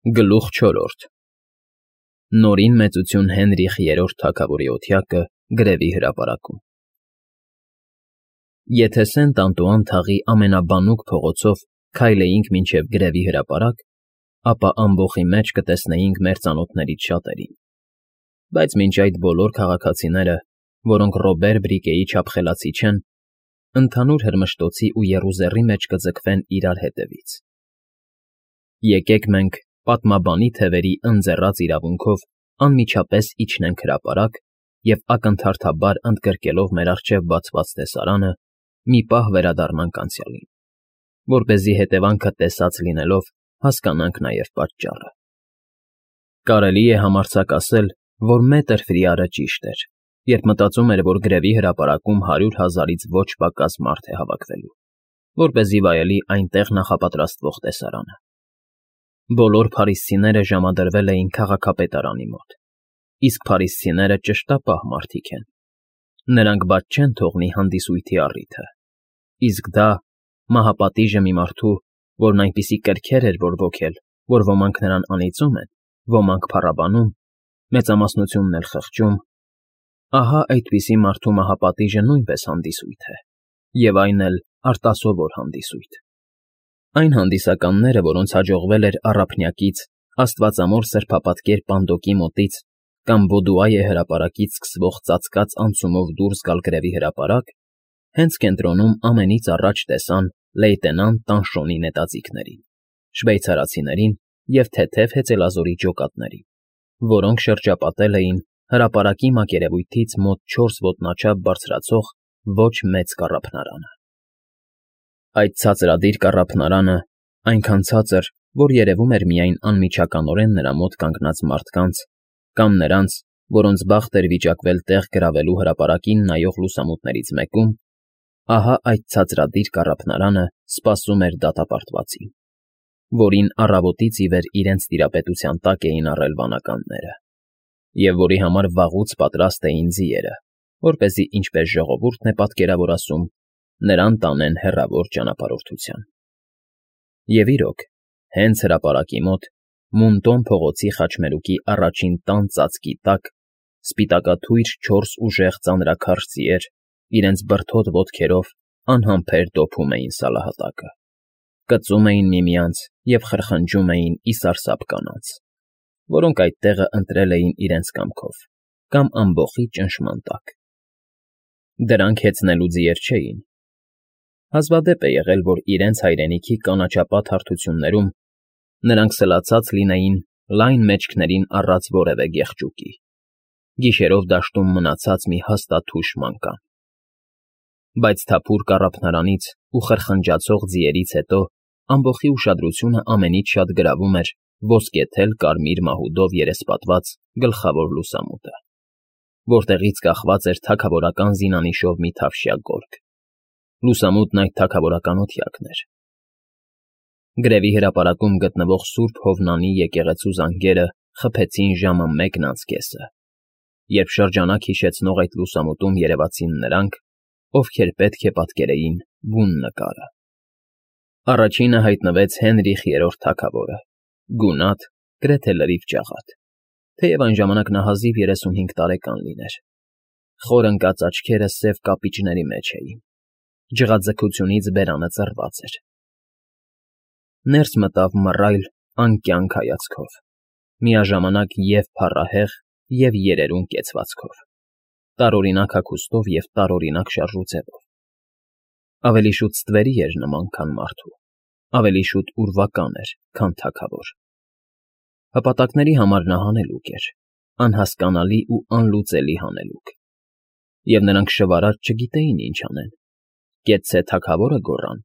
Գլուխ 4 Նորին մեծություն Հենրիխ III թագավորի օթյակը գրևի հրապարակում։ Եթե Սենտ Անտուան թաղի ամենաբանուկ փողոցով քայլեինք մինչև գրևի հրապարակ, ապա ամբոխի մեջ կտեսնեինք մեր ծանոթներից շատերին, բայց մինչ այդ բոլոր քաղաքացիները, որոնք Ռոբեր Բրիկեի չափ խելացի չեն, ընդհանուր հրմշտոցի ու եռուզեռի մեջ կձգվեն իրար հետևից։ Եկեք մենք պատմաբանի թևերի ընձեռած իրավունքով անմիջապես իջնենք հրապարակ և ակնթարթաբար ընդգրկելով մեր առջև բացված տեսարանը, մի պահ վերադառնանք անցյալին, որպեսզի հետևանքը տեսած լինելով հասկանանք նաև պատճառը։ Կարելի է համարձակ ասել, որ Մետր Ֆրիարը ճիշտ էր, երբ մտածում էր, որ գրևի հրապարակում 100,000-ից ոչ պակաս մարդ է հավաքվելու, որպեսզի վայելի այնտեղ նախապատրաստվող տեսարանը։ Բոլոր փարիսցիները ժամադրվել էին քաղաքապետարանի մոտ, իսկ փարիսցիները ճշտապահ մարդիկ են։ Նրանք բաց չեն թողնի հանդիսույթի առիթը, իսկ դա մահապատիժը մի մարդու, որն այնպիսի կրքեր էր որ ոգել, որ ոմանք նրան անիծում են, ոմանք փառաբանում, մեծամասնությունն էլ խղճում, ահա այդպիսի մարդու մահապատիժը նույնպես հանդիսույթ է, և այն էլ արտասովոր հանդիսույթ։ Այն հանդիսականները, որոնց հաջողվել էր առափնյակից աստվածամոր սրբապատկեր Պանդոկի մոտից կամ Բոդուայե հրապարակից սկսվող ծածկած անցումով դուրս գալ գրևի հրապարակ, հենց կենտրոնում ամենից առաջ տեսան լեյտենանտ Տանշոնի նետաձիգներին, շվեյցարացիներին և թեթև հեծելազորի ջոկատներին, որոնք շրջապատել էին հրապարակի մակերևույթից մոտ 4 ոտնաչափ բարձրացող ոչ մեծ կառափնարանը։ Այդ ցածրադիր կառափնարանը այնքան ցածր, որ երևում էր միայն անմիջականորեն նրա մոտ կանգնած մարդկանց կամ նրանց, որոնց բախտ էր վիճակվել տեղ գրավելու հրապարակին նայող լուսամուտներից մեկում, ահա այդ ցածրադիր կառափնարանը սպասում էր դատապարտվածին, որին առավոտից ի վեր իրենց տիրապետության տակ էին առել վանականները, և որի համար վաղուց պատրաստ էին ձիերը, որպեսզի, ինչպես ժողովուրդն է պատկերավոր ասում, նրան տանեն հեռավոր ճանապարհորդության։ Եվ իրոք, հենց հրապարակի մոտ, Մունտոն փողոցի խաչմերուկի առաջին տան ծածկի տակ, սպիտակաթույր 4 ուժեղ ծանրաքարշ ձիեր իրենց բրդոտ ոտքերով անհամբեր դոփում էին սալահատակը, կծում էին միմյանց և խրխնջում էին ի սարսափ կանանց, որոնք այդ տեղը ընտրել էին իրենց կամքով կամ ամբոխի ճնշման տակ։ Դրանք հեծնելու ձիեր չէին։ Հազվադեպ է եղել, որ իրենց հայրենիքի կանաչապատ հարթություններում նրանք սլացած լինեին լայն մեջքներին առած որևէ գեղջուկի, գիշերով դաշտում մնացած մի հաստաթուշ մանկան։ Բայց թափուր կառափնարանից ու խրխնջացող ձիերից հետո ամբոխի ուշադրությունը ամենից շատ գրավում էր ոսկեթել կարմիր մահուդով երեսպատված գլխավոր լուսամուտը, որտեղից կախված էր թագավորական զինանիշով մի թավշյա գորգ։ Լուսամուտն այդ թագավորական օթյակն էր։ Գրևի հրապարակում գտնվող Սուրբ Հովնանի եկեղեցու զանգերը խփեցին ժամը 1:10, երբ շրջանակ հիշեցնող այդ լուսամուտում երևացին նրանք, ովքեր պետք է պատկերեին բուն նկարը։ Առաջինը հայտնվեց Հենրիխ III թագավորը, գունատ, գրեթե լրիվ ջաղատ, թեև այն ժամանակ նա հազիվ 35 տարեկան լիներ։ Խոր ընկած աչքերը սև կապիճների մեջ էին, ջղաձգությունից բերանը ծռված էր։ Ներս մտավ մռայլ, անկյանք հայացքով, միաժամանակ և փառահեղ, և երերուն կեցվածքով, տարօրինակ հագուստով և տարօրինակ շարժուձևով։ Ավելի շուտ ստվերի էր նման, քան մարդու, ավելի շուտ ուրվական էր, քան թագավոր։ Հպատակների համար նա հանելուկ էր, անհասկանալի ու անլուծելի հանելուկ, և նրանք շվարած չգիտեին ինչ անեն, կեցցե թագավորը գոռան,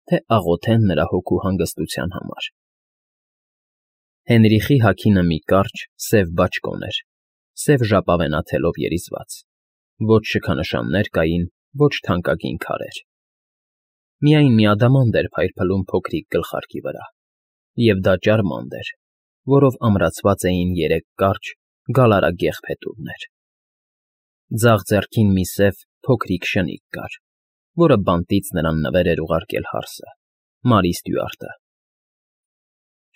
թե աղոթեն նրա հոգու հանգստության համար։ Հենրիխի հագինը մի կարճ, սև բաճկոն էր, սև ժապավենաթելով երիզված, ոչ շքանշաններ կային, ոչ թանկագին քարեր։ Միայն մի ադամանդ էր փայլփլում փոքրիկ գլխարկի վրա, և դա ճարմանդ էր, որով ամրացված էին 3 կարճ, գալարագեղ փետուրներ։ Ձախ ձեռքին մի սև, փոքրիկ շնիկ կար, որը բանտից նրան նվեր էր ուղարկել հարսը, Մարի Ստյուարտը։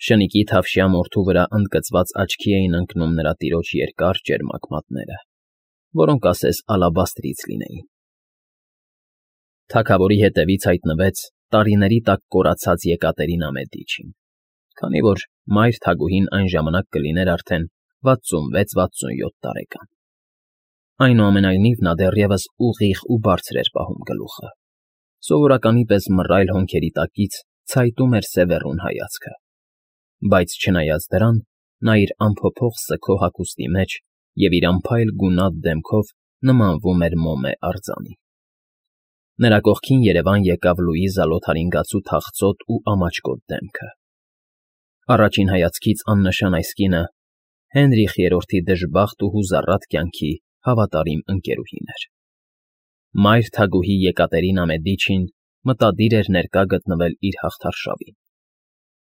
Շնիկի թավշյա մորթու վրա ընդգծված աչքի էին ընկնում նրա տիրոջ երկար ճերմակ մատները, որոնք ասես ալաբաստրից լինեին։ Թագավորի հետևից հայտնվեց տարիների տակ կորացած Եկատերինա Մեդիչին, քանի որ մայր թագուհին այն ժամանակ կլիներ արդեն 66-67 տարեկան։ Այնուամենայնիվ նա դեռևս ուղիղ ու բարձր էր պահում գլուխը, սովորականի պես մռայլ հոնքերի տակից ցայտում էր սևեռուն հայացքը, բայց չնայած դրան, նա իր անփոփոխ սգո հագուստի մեջ և իր անփայլ գունատ դեմքով նմանվում էր Մոմե արձանի։ Նրա կողքին երևան եկավ Լուիզա Լոթարինգացու թախծոտ ու ամաչկոտ դեմքը։ Առաջին հայացքից աննշան այս կինը Հենրիխ III-ի դժբախտ ու հուզառատ կյանքի հավատարիմ ընկերուհին էր։ Մայր թագուհի Եկատերինա Մեդիչին մտադիր էր ներկա գտնվել իր հաղթարշավին։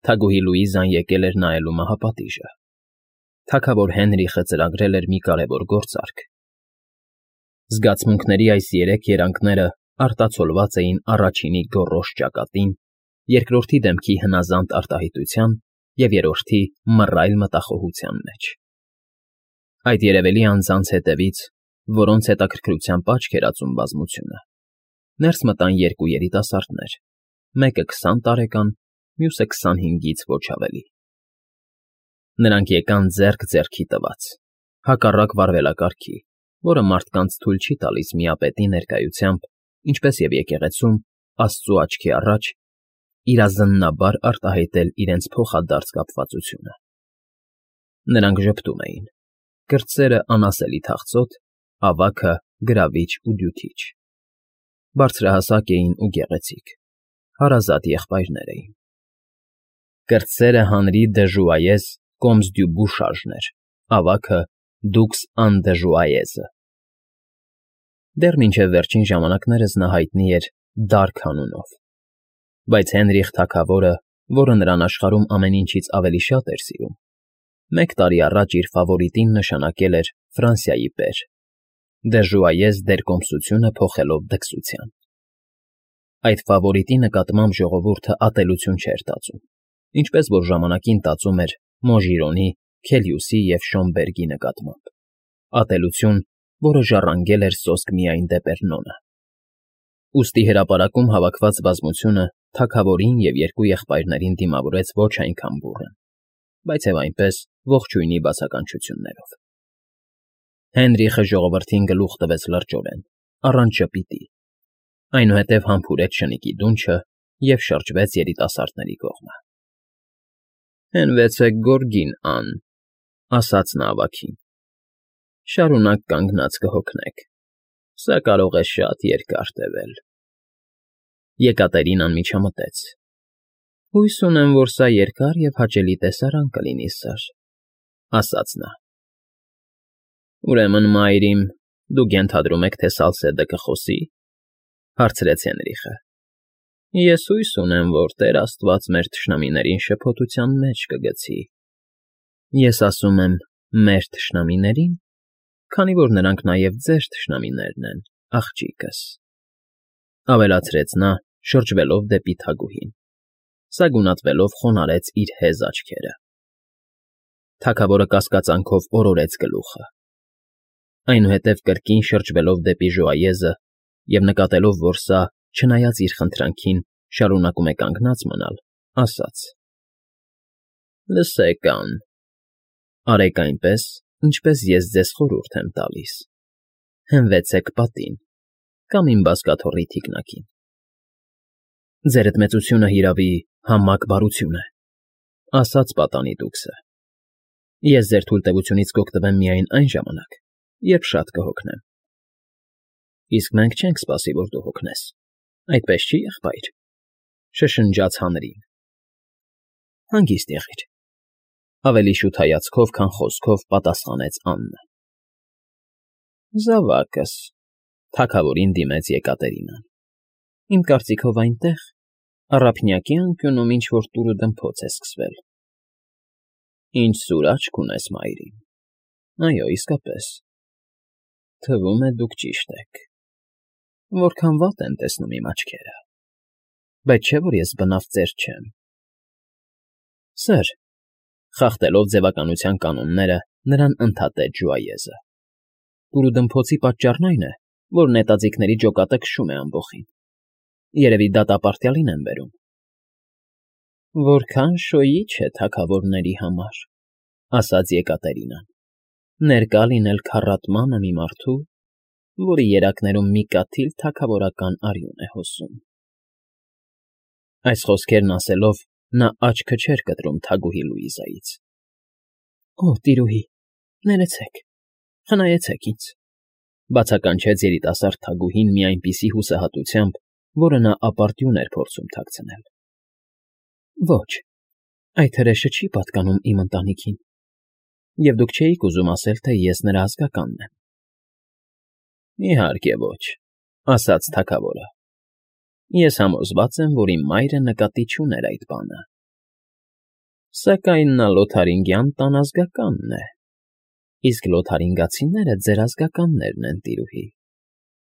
Թագուհի Լուիզան եկել էր նայելու մահապատիժը։ Թագավոր Հենրիխը ծրագրել էր մի կարևոր գործարք։ Զգացմունքների այս երեք երանգները արտացոլված էին առաջինի գոռոզ ճակատին, երկրորդի դեմքի հնազանդ արտահայտության և երրորդի մռայլ մտախոհության մեջ։ Այդ երևելի անձանց հետևից, որոնց հետաքրքրությամբ աչք էր ածում բազմությունը, ներս մտան երկու երիտասարդներ, մեկը 20 տարեկան, մյուսը 25-ից ոչ ավելի։ Նրանք եկան ձեռք ձեռքի տված, հակառակ վարվելակարգի, որը մարդկանց թույլ չի տալիս միապետի ներկայությամբ, ինչպես և եկեղեցում, Աստծու աչքի առաջ, իրազննաբար արտահայտել իրենց փոխադարձ կապվածությունը։ Նրանք ժպտում էին, կրտսերը անասելի թախծոտ, ավագը գրավիչ ու դյութիչ։ Բարձրահասակ էին ու գեղեցիկ, հարազատ եղբայրներ էին։ Կրտսերը Հանրի դը Ժուայես կոմս դյու Բուշաժն էր, ավագը դուքս Ան դը Ժուայեզը։ Դեռ մինչև վերջին ժամանակներս նա հայտնի էր Դարք անունով, բայց Հենրիխ թագավորը, որը նրան աշխարհում ամեն ինչից ավելի շատ էր սիրում, 1 տարի առաջ իր ֆավորիտին նշանակել էր Ֆրանսիայի պեր, դը Ժուայես դերկոմսությունը փոխելով դքսության։ Այդ ֆավորիտի նկատմամբ ժողովուրդը ատելություն չէր տածում, ինչպես որ ժամանակին տածում էր Մոժիրոնի, Քելիուսի և Շոմբերգի նկատմամբ, ատելություն, որը ժառանգել էր սոսկ միայն Դեպերնոնը։ Ուստի հրապարակում հավաքված բազմությունը թագավորին և երկու եղբայրներին դիմավորեց ոչ այնքան բուռն, բայց և այնպես ողջույնի բացականչություններով։ Հենրիխը ժողովրդին գլուխ տվեց լրջորեն, առանց ժպիտի, այնուհետև համբուրեց շնիկի դունչը և շրջվեց երիտասարդների կողմը։ «Հենվեցեք գորգին, Ան», ասաց նա ավագին։ «Շարունակ կանգնած կհոգնեք, սա կարող է շատ երկար տևել»։ Եկատերինան միջամտեց. «Հույս ունեմ, որ սա երկար և հաճելի տեսարան կլինի, սըր», ասաց նա։ «Ուրեմն, մայրիմ, դուք ենթադրում եք, թե Սալսեդը կխոսի», հարցրեց Հենրիխը։ «Ես հույս ունեմ, որ Տեր Աստված մեր թշնամիներին շփոթության մեջ կգցի։ Ես ասում եմ մեր թշնամիներին, քանի որ նրանք նաև ձեր թշնամիներն են, աղջիկս», ավելացրեց նա, շրջվելով դեպի թագուհին, սա գունատվելով խոնարհեց իր հեզ աչքերը։ Թագավորը կասկածանքով օրորեց գլուխը։ Այնուհետև կրկին շրջվելով դեպի Ժուայեզը և նկատելով, որ սա, չնայած իր խնդրանքին, շարունակում է կանգնած մնալ, ասաց. «Լսեք, Ան, արեք այնպես, ինչպես ես ձեզ խորհուրդ եմ տալիս. հենվեցեք պատին կամ իմ բազկաթոռի թիկնակին։ Ձերդ մեծությունը, հիրավի, համակ բարություն է, ասաց պատանի դուքսը։ Ես ձեր թույլտվությունից կօգտվեմ միայն այն ժամանակ, երբ շատ կհոգնեմ։ Իսկ մենք չենք սպասի, որ դու հոգնես, այդպես չի, եղբայր», շշնջաց Հանրին։ «Հանգիստ եղիր», ավելի շուտ հայացքով, քան խոսքով պատասխանեց Աննը։ «Զավակս», թագավորին դիմեց Եկատերինան, «իմ կարծիքով այնտեղ, առափնյակի անկյունում ինչ֊որ տուրը դմփոց է սկսվել»։ «Ինչ սուր աչք ունես, մայրիկ, այո, իսկապես, թվում է դուք ճիշտ եք, որքան վատ են տեսնում իմ աչքերը, բայց չէ՞ որ ես բնավ ծեր չեմ։ Սըր, խախտելով ձևականության կանոնները, նրան ընդհատեց Ժուայեզը։ Կուրուդմփոցի պատճառն այն է, որ նետաձիգների ջոկատը քշում է ամբոխին։ Երևի դատապարտյալին են բերում։ Որքան շոյիչ է թագավորների համար, ասաց Եկատերինան, ներկա լինել քառատմանը մի մարդու, որի երակներում մի կաթիլ թագավորական արյուն է հոսում։ Այս խոսքերն ասելով, նա աչքը չէր կտրում թագուհի Լուիզայից։ Օ, տիրուհի, ներեցեք, խնայեցեք ինձ, բացականչեց երիտասարդ թագուհին մի այնպիսի հուսահատությամբ, որը նա ապարդյուն էր փորձում թաքցնել։ Ոչ, այդ հրեշը չի պատկանում իմ ընտանիքին, և դուք չէիք ուզում ասել, թե ես նրա ազգականն եմ։ Իհարկե ոչ, ասաց թագավորը։ Ես համոզված եմ, որ իմ մայրը նկատի չուներ այդ բանը։ Սակայն նա լոթարինգյան տան ազգականն է, իսկ լոթարինգացիները ձեր ազգականներն են, տիրուհի։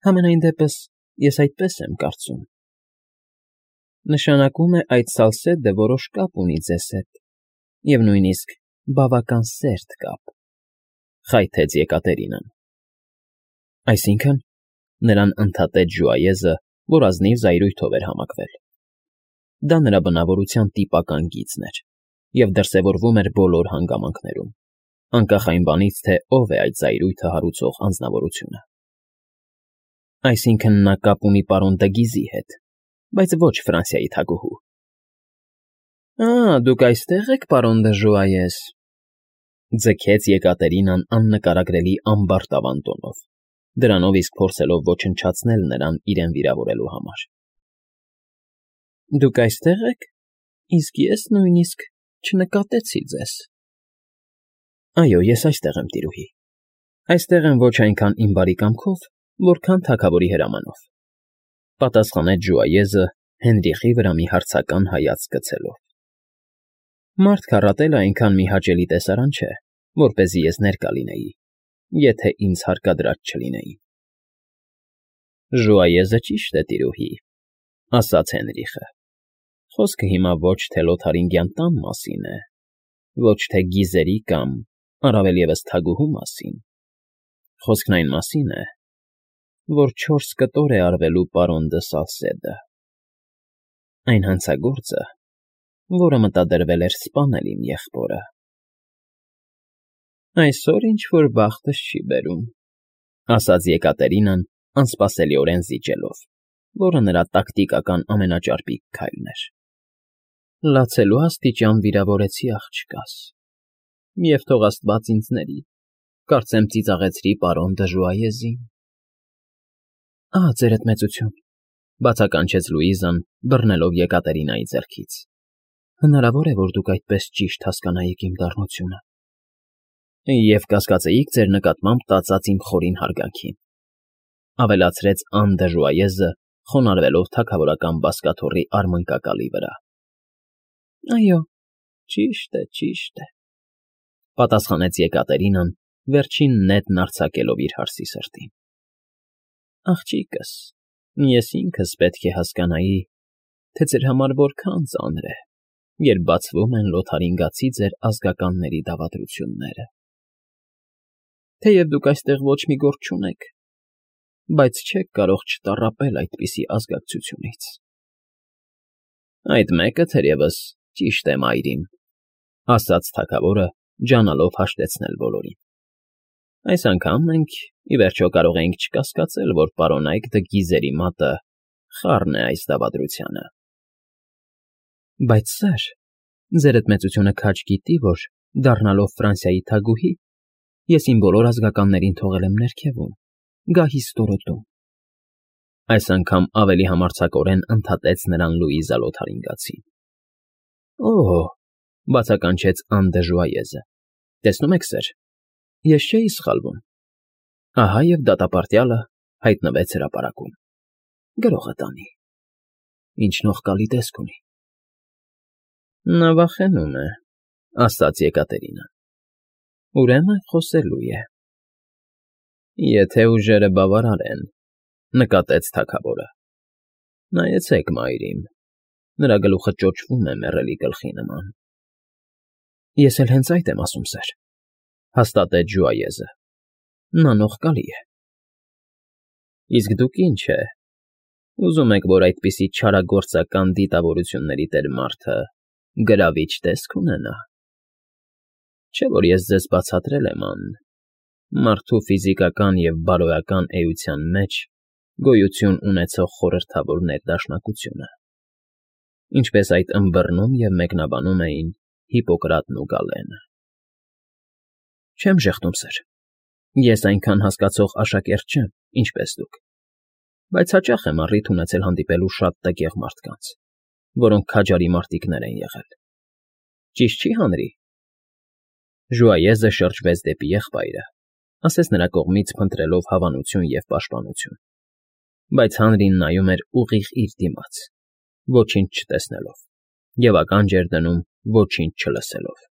Համենայն դեպս, ես այդպես եմ կարծում։ Նշանակում է այդ սալսեդը որոշ կապ ունի ձեզ հետ, և նույնիսկ բավական սերտ կապ, խայթեց Եկատերինան։ Այսինքն, նրան ընդհատեց Ժուայեզը, որ ազնիվ զայրույթով էր համակվել։ Դա նրա բնավորության տիպական գիծն էր, և դրսևորվում էր բոլոր հանգամանքներում, անկախ այն բանից, թե ով է այդ զայրույթը հարուցող անձնավորությունը։ Այսինքն նա կապ ունի պարոն Դգիզի հետ, բայց ոչ Ֆրանսիայի թագուհու։ Դուք այստեղ եք, պարոն դը Ժուայես, ձգեց Եկատերինան աննկարագրելի ամբարտավան տոնով, դրանով իսկ փորձելով ոչնչացնել նրան իրեն վիրավորելու համար։ Դուք այստեղ եք, իսկ ես նույնիսկ չնկատեցի ձեզ։ Այո, ես այստեղ եմ, տիրուհի։ Այստեղ եմ ոչ այնքան իմ բարի կամքով, որքան թագավորի հրամանով, պատասխանեց Ժուայեզը Հենրիխի վրա մի հարցական հայացք գցելով։ Մարդ քառատելը այնքան մի հաճելի տեսարան չէ, որպեսզի ես ներկա լինեի, եթե ինձ հարկադրած չլինեին։ Ժուայեզը ճիշտ է, տիրուհի, ասաց Հենրիխը։ Խոսքը հիմա ոչ թե լոթարինգյան տան մասին է, ոչ թե գիզերի կամ, առավել ևս թագուհու մասին։ Խոսքն այն մասին է, որ 4 կտոր է արվելու պարոն դը Սալսեդը։ Այն հանցագործը, որը մտադրվել էր սպանել իմ եղբորը։ Այսօր ինչ-որ բախտս չի բերում, ասաց Եկատերինան, անսպասելիորեն զիջելով, որը նրա տակտիկական ամենաճարպիկ քայլն էր։ Լացելու աստիճան վիրավորեցի աղջկաս, և թող աստված ինձ ների, կարծեմ ծիծաղեցրի պարոն դը Ժուայեզին։ Ձերդ մեծություն, բացականչեց Լուիզան, բռնելով Եկատերինայի ձեռքից։ Հնարավոր է, որ դուք այդպես ճիշտ հասկանայիք իմ դառնությունը։ Եվ կասկածեիք ձեր նկատմամբ տածած իմ խորին հարգանքին, ավելացրեց Ան դը Ժուայեզը, խոնարհվելով թագավորական բազկաթոռի արմնկակալի վրա։ Այո, ճիշտ է, պատասխանեց Եկատերինան, վերջին նետն արձակելով իր հարսի սրտին։ Աղջիկս, ես ինքս պետք է հասկանայի, թե ձեր համար որքան ծանր է, երբ բացվում են լոթարինգացի ձեր ազգականների դավադրությունները։ Թեև դուք այստեղ ոչ մի գործ չունեք, բայց չեք կարող չտառապել այդպիսի ազգակցությունից։ Այդ մեկը, թերևս, ճիշտ է, մայրիմ, ասաց թագավորը, ջանալով հաշտեցնել բոլորին։ Այս անգամ մենք, ի վերջո, կարող ենք չկասկածել, որ պարոնայք դը Գիզերի մատը խառն է այս դավադրությանը։ Բայց, սըր, ձերդ մեծությունը քաջ գիտի, որ, դառնալով Ֆրանսիայի թագուհի, ես իմ բոլոր ազգականներին թողել եմ ներքևում, գահի ստորոտում։ Այս անգամ ավելի համարձակորեն ընդհատեց նրան Լուիզա Լոթարինգացին։ Բացականչեց Ան դը Ժուայեզը։ Տեսնում եք, սըր, ես չէի սխալվում։ Ահա և դատապարտյալը հայտնվեց հրապարակում։ Գրողը տանի։ Ինչ նողկալի տեսք ունի։ Նա վախենում է, ասաց Եկատերինան։ Ուրեմն խոսելու է։ Եթե ուժերը բավարար են, նկատեց թագավորը։ Նայեցեք, մայրիմ, նրա գլուխը ճոճվում է մեռելի գլխի նման։ Ես էլ հենց այդ եմ ասում, սեր,֊ հաստատեց Ժուայեզը։ Նա նողկալի է։ Իսկ դուք ինչ է, ուզում եք, որ այդպիսի չարագործական դիտավորությունների տեր մարդը գրավիչ տեսք ունենա։ Չէ՞ որ ես ձեզ բացատրել եմ, մարդու ֆիզիկական և բարոյական էության մեջ գոյություն ունեցող խորհրդավոր ներդաշնակությունը, ինչպես այդ ըմբռնում և մեկնաբանում էին Հիպոկրատն ու Գալենը։ Չեմ ժեղտում, սեր, ես այնքան հասկացող աշակերտ չեմ, ինչպես դուք, բայց հաճախ եմ առիթ ունեցել հանդիպելու շատ տգեղ մարդկանց, որոնք քաջարի մարտիկներ են եղել։ Ճիշտ չի, Հանրի։ Ժուայեզը շրջվեց դեպի եղբայրը, ասես նրա կողմից փնտրելով հավանություն և պաշտպանություն, բայց Հանրին նայում էր ուղիղ իր դիմաց, ոչինչ չտեսնելով, և ականջ էր դնում ոչինչ չլսելով։